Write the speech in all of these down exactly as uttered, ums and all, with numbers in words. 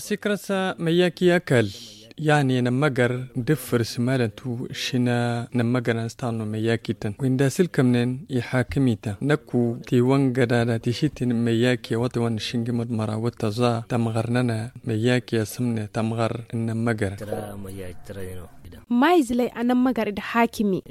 Sikarasa mayyaaki ya kal. Ya ne na magar da firsi maalantu shina na magar na sta no mayyaaki tan winda silkam nen i haakami tan nakku te wanga da da te shi tin mayyaaki wata wani shingi mad mara wata za tamgar nana mayyaaki ya samne tamgar na magar. Mayyaaki tara no. Ma izilay a na magar da haakami.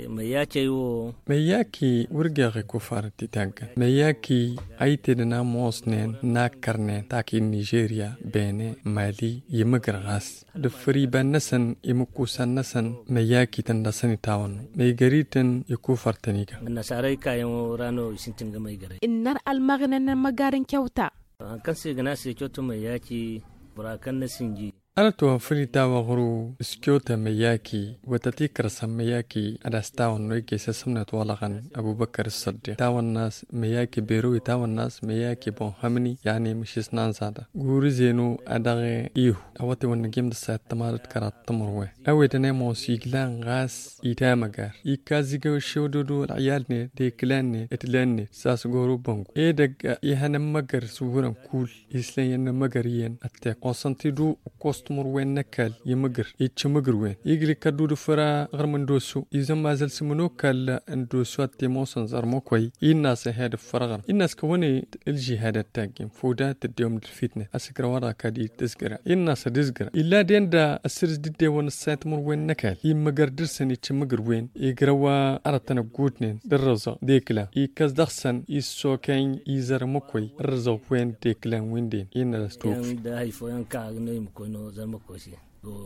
Mayyaaki ay wo. Mayyaaki wurgeexay kufar ti taggan mayyaaki ay te da na moos nen na kar nen taaki nizeeriya beene mali yimagir gas da fari ba nasan ima kuusa nasan mayyaaki tan da sani taawan no maygari tan i kufar tani ga. Nasaaray kaayaŋo ra no i sintin ga maygaray. Innar almagana na magarin kyauta. Haŋ kaŋ se ga na se kyauta mayyaaki bora kaŋ na sinji. Ala to fili ta waxuru iskiyota mayaki wata ti karsan mayaki adasta wanno ike sassamna to wala kan abubakar saddiq tawan nas mayaki berowi tawan nas mayaki bon hamni yani mishis nan zada guri zeno adare ihu awati wanno gem da sa tamarat karat tamurwe awe da ne mo siglan gas ita magar ika ziga shododo al iyal ne de klan ne etlan ne sas goro bangu e daga ihana magar suburan kul Islam yaŋ na magari yaŋ atte konsanti du kostumur wen na kal i magir i ci magir wen i giri kaddu da fura garma ndoso i zama zalsima no kal ndoso atte moson zarma koy i na sa heda fura garma i na sa ka wane aljihad atta gim fuda ta diyom da fitne a si gar wara ka di disgira i na sa disgira illa den da asir didde wane saint mur wen na kal i magar dirsan i ci magir wen i gira wa aratana gudnen da razo dekla i kas daxsan i soken i zarma koy razo wen dekla winden i na da stoki. Da hay fooyaŋ ka ga no i ma koy no zarma koy se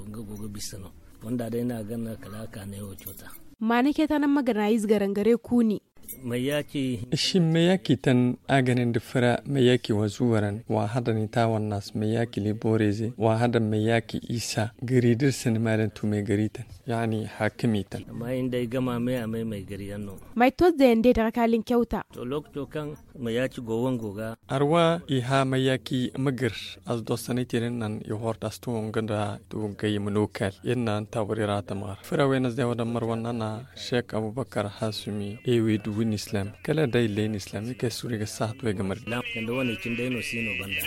nga go ga bisa no fonda day no a ganna kala a ka ne wo cota. Maana ke ta nan magana ize garangare kuuni. Mayaki shin mayaki tan a ganin da fura mayaki wa zuwaran wa hada ni ta wannan mayaki liboreze wa hada mayaki isa gari dirsin malan tumay gari tan yani hakimi tan. Amma inda ay gama me a may may gari yan no. May to zayan de daga kalin kyauta. To lokaco kaŋ mayaki go wango ga. Arwa i ha mayaki magir as do sanay tirin nan i horta sto nga da to gay mano kal yan nan tabari ra tamar fura wayna zai wadan marwan nana. Sheikh abubakar hasumi ewe duwin islam kala day lain islam i kai suri ga sahat way ga mari. Kanda wane cin day no sino banda.